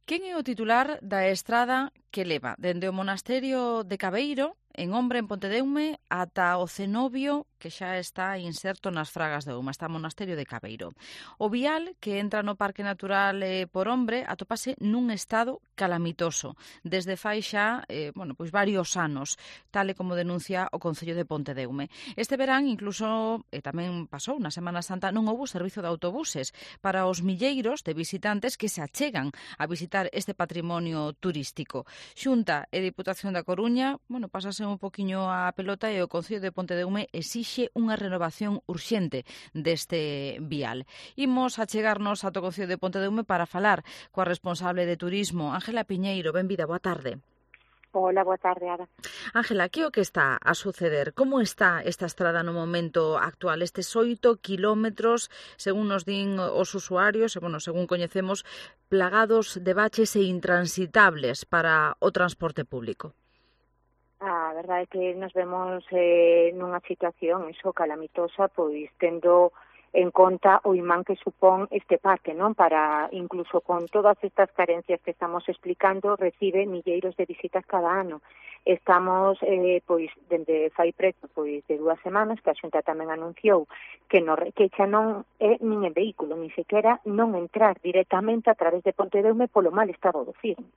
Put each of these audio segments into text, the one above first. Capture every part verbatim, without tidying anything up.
Quen é o titular da estrada que leva dende o monasterio de Cabeiro, en Ombra, en Pontedeume, ata o cenobio que xa está inserto nas Fragas de Ouma, está o monasterio de Cabeiro? O vial que entra no Parque Natural eh, por Ombre atopase nun estado calamitoso desde fai xa eh, bueno, pois varios anos, tal e como denuncia o Concello de Pontedeume. Este verán, incluso, e tamén pasou na Semana Santa, non houbo servizo de autobuses para os milleiros de visitantes que se achegan a visitar este patrimonio turístico. Xunta e Diputación da Coruña, bueno, pasase un poquiño a pelota e o Concello de Pontedeume exixe unha renovación urxente deste vial. Imos a chegarnos ata o Concello de Pontedeume para falar coa responsable de turismo, Ángela Piñeiro. Benvida, boa tarde. Hola, boa tarde, Ada. Ángela, que o que está a suceder? Como está esta estrada no momento actual? Estes oito kilómetros, según nos din os usuarios, e, bueno, según coñecemos, plagados de baches e intransitables para o transporte público. A verdade é que nos vemos eh, nunha situación iso calamitosa, pois tendo en conta o imán que supón este parque, non? Para, incluso con todas estas carencias que estamos explicando, recibe milleiros de visitas cada ano. Estamos, eh, pois, dende fai preto, pois, de dúas semanas, que a Xunta tamén anunciou que, no, que xa non é nin en vehículo, nin sequera non entrar directamente a través de Pontedeume polo mal estado do firme,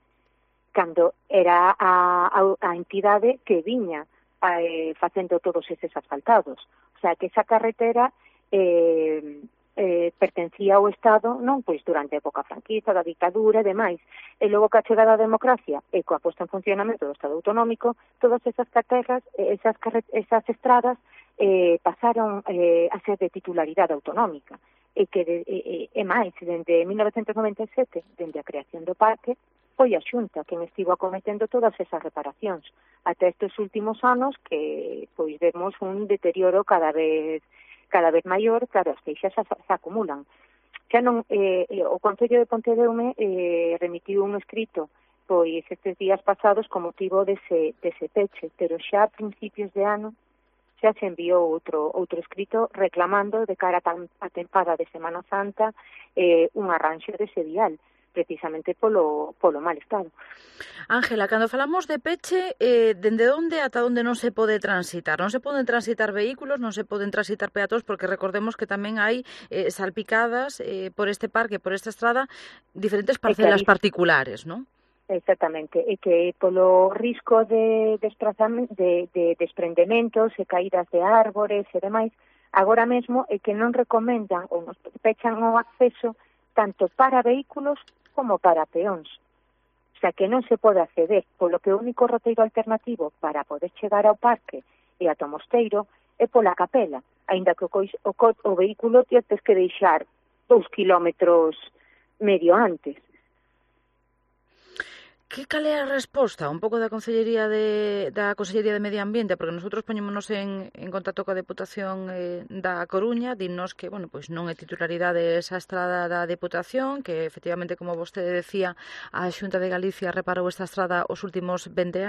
cando era a, a, a entidade que viña eh, facendo todos eses asfaltados. O sea, que esa carretera eh, eh, pertencía ao Estado, non, pois durante a época franquista, da dictadura e demais. E logo que a chegada da democracia e coa posta en funcionamento do Estado autonómico, todas esas carreteras, esas, esas estradas eh, pasaron eh, a ser de titularidade autonómica. E que, de, e, e máis, dende mil novecentos noventa e sete, dende a creación do parque, foi a Xunta quen estivo acometendo todas esas reparacións. Até estes últimos anos que pois vemos un deterioro cada vez cada vez maior, claro, as queixas se, se acumulan. Xa non, eh, o Concello de Pontedeume eh, remitiu un escrito pois estes días pasados con motivo dese, dese peche, pero xa a principios de ano xa se enviou outro outro escrito reclamando de cara a tempada de Semana Santa eh, un arranxo dese vial, precisamente polo, polo mal estado. Ángela, cando falamos de peche, eh, dende onde ata onde non se pode transitar? Non se poden transitar vehículos, non se poden transitar peatóns, porque recordemos que tamén hai eh, salpicadas eh, por este parque, por esta estrada, diferentes parcelas particulares, non? Exactamente, e que polo risco de, desprazamento, de, de desprendementos e caídas de árbores e demais, agora mesmo é que non recomendan ou nos pechan o acceso tanto para vehículos como para peóns. O sea, que non se pode acceder, polo que o único roteiro alternativo para poder chegar ao parque e ata o mosteiro é pola capela, aínda que o, cois, o, o vehículo tienes que deixar dous kilómetros medio antes. Que cal é a resposta un pouco da Consellería de, da Consellería de Medio Ambiente? Porque nosotros poñémonos en, en contacto coa Deputación eh, da Coruña, dinnos que, bueno, pois non é titularidade esa estrada da Deputación, que efectivamente, como vostede decía, a Xunta de Galicia reparou esta estrada os últimos vinte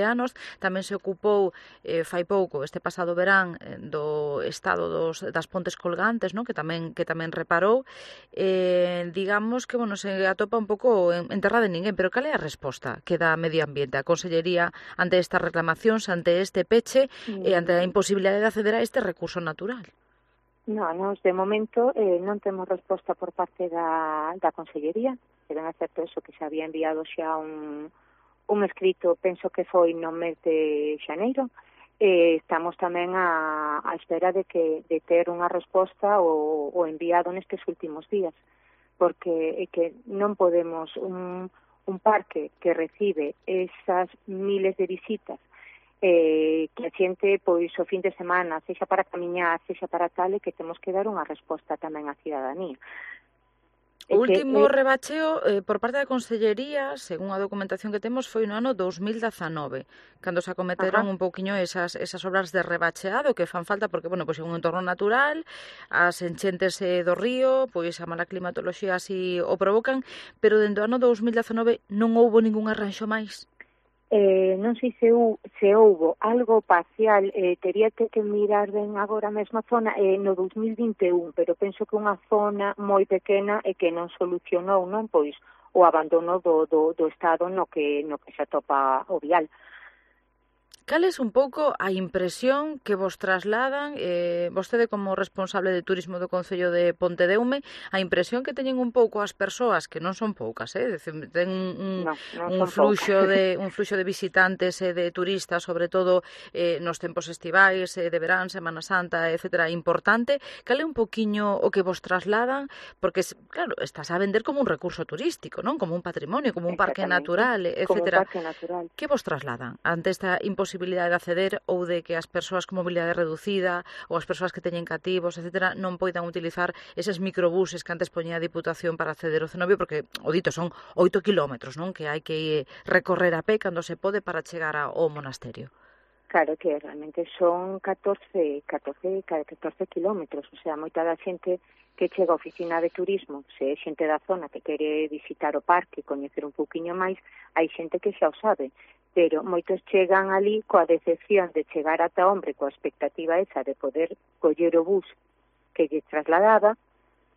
anos, tamén se ocupou eh, fai pouco, este pasado verán, eh, do estado dos, das pontes colgantes, non? que tamén que tamén reparou, eh, digamos que, bueno, se atopa un pouco enterrada en ninguén, pero cal é a resposta que dá Medio Ambiente, a Consellería, ante estas reclamacións, ante este peche e ante a imposibilidade de acceder a este recurso natural? Non, nos de momento eh, non temos resposta por parte da, da Consellería, que ben é certo eso que se había enviado xa un, un escrito, penso que foi no mes de xaneiro, eh, estamos tamén a, a espera de que de ter unha resposta o, o enviado nestes últimos días, porque é que non podemos un un parque que recibe esas miles de visitas, eh, que a xente, pois, o fin de semana, sexa para camiñar, sexa para tal, e que temos que dar unha resposta tamén á cidadanía. O último que, eh, rebacheo eh, por parte da Consellería, según a documentación que temos, foi no ano dos mil dezanove, cando se acometeron ajá. un pouquiño esas, esas obras de rebacheado que fan falta, porque, bueno, pois é un entorno natural, as enchentes eh, do río, pois a mala climatoloxía así o provocan, pero dentro do ano dos mil dezanove non houbo ningún arranxo máis. Eh, non sei se, u, se houbo algo parcial, eh, tería que, que mirar ben agora a mesma zona eh, no dos mil vinte e un, pero penso que unha zona moi pequena e que non solucionou, non? Pois o abandono do, do, do estado no que, no que se atopa o vial. Cal é un pouco a impresión que vos trasladan, eh, vostede como responsable de turismo do Concello de Pontedeume, a impresión que teñen un pouco as persoas, que non son poucas, eh? Decir, ten un, no, non un, fluxo de, un fluxo de visitantes e de turistas, sobre todo eh, nos tempos estivais, eh, de verán, Semana Santa, etcétera, importante. Cal é un poquiño o que vos trasladan? Porque, claro, estás a vender como un recurso turístico, non? Como un patrimonio, como un parque natural, etcétera. Como un parque natural. Que vos trasladan ante esta imposibilidade de acceder ou de que as persoas con mobilidade reducida ou as persoas que teñen cativos, etcétera, non poidan utilizar eses microbuses que antes poñía a Diputación para acceder ao cenobio, porque, o dito, son oito kilómetros, non? Que hai que recorrer a pé cando se pode para chegar ao monasterio. Claro que realmente son catorce, catorce, catorce kilómetros, o sea, moita da xente que chega á oficina de turismo, se é xente da zona que quere visitar o parque, coñecer un pouquiño máis, hai xente que xa o sabe, pero moitos chegan ali coa decepción de chegar ata Hombre, coa expectativa esa de poder coller o bus que lle trasladaba,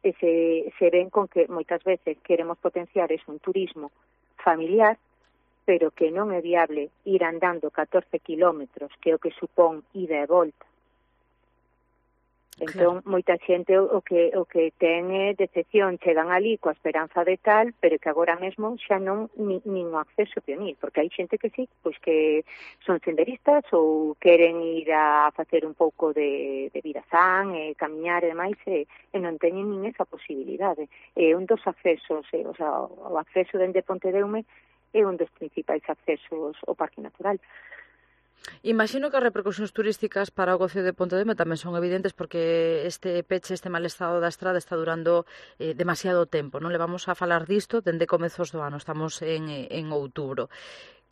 e se, se ven con que moitas veces queremos potenciar es un turismo familiar, pero que non é viable ir andando catorce kilómetros, que é o que supón ida e volta. Entón, claro, moita xente o que o que ten é decepción, chegan ali coa esperanza de tal, pero que agora mesmo xa non ni, nin o acceso pionir, porque hai xente que sí, pois que son senderistas ou queren ir a facer un pouco de, de vida san, e camiñar e demais, e, e non teñen nin esa posibilidade. É un dos accesos, e, o sea, o acceso dende Pontedeume é un dos principais accesos ao Parque Natural. Imagino que as repercusións turísticas para o Concello de Pontedeume tamén son evidentes porque este peche, este mal estado da estrada está durando eh, demasiado tempo. Non le vamos a falar disto dende comezos do ano, estamos en, en outubro.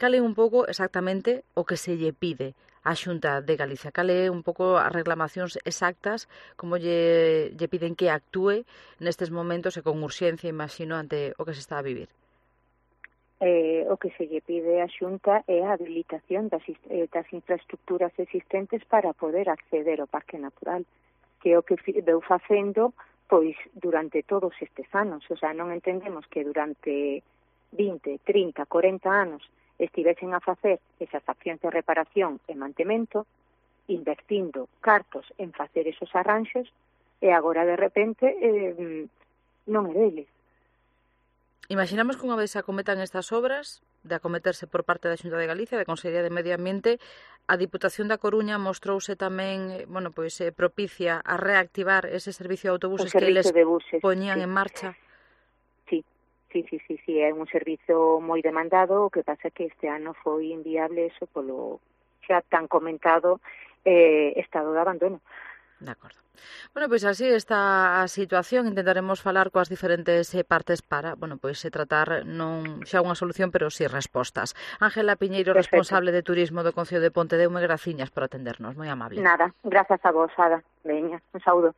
Cal é un pouco exactamente o que se lle pide á Xunta de Galicia? Cal é un pouco as reclamacións exactas, como lle, lle piden que actúe nestes momentos e con urxencia, imagino, ante o que se está a vivir? Eh, o que se lle pide á Xunta é a habilitación das, eh, das infraestructuras existentes para poder acceder ao Parque Natural, que é o que veu facendo pois durante todos estes anos. O sea, non entendemos que durante vinte, trinta, corenta anos estivesen a facer esas accións de reparación e mantemento, invertindo cartos en facer esos arranxos, e agora de repente eh, non é deles. Imaginamos que unha vez se acometan estas obras, de acometerse por parte da Xunta de Galicia, da Consellería de Medio Ambiente, a Diputación da Coruña mostrouse tamén, bueno, pois eh, propicia a reactivar ese servicio de autobuses que eles poñían sí. en marcha. Sí, sí, sí, sí, sí, é un servizo moi demandado, o que pasa que este ano foi inviable eso polo xa tan comentado eh, estado de abandono. De acordo. Bueno, pois así está a situación. Intentaremos falar coas diferentes partes para, bueno, pois se tratar non xa unha solución, pero si respostas. Ángela Piñeiro, perfecto, responsable de turismo do Concello de Pontedeume, graciñas por atendernos, moi amable. Nada, grazas a vos, Ada. Veña, un saúdo.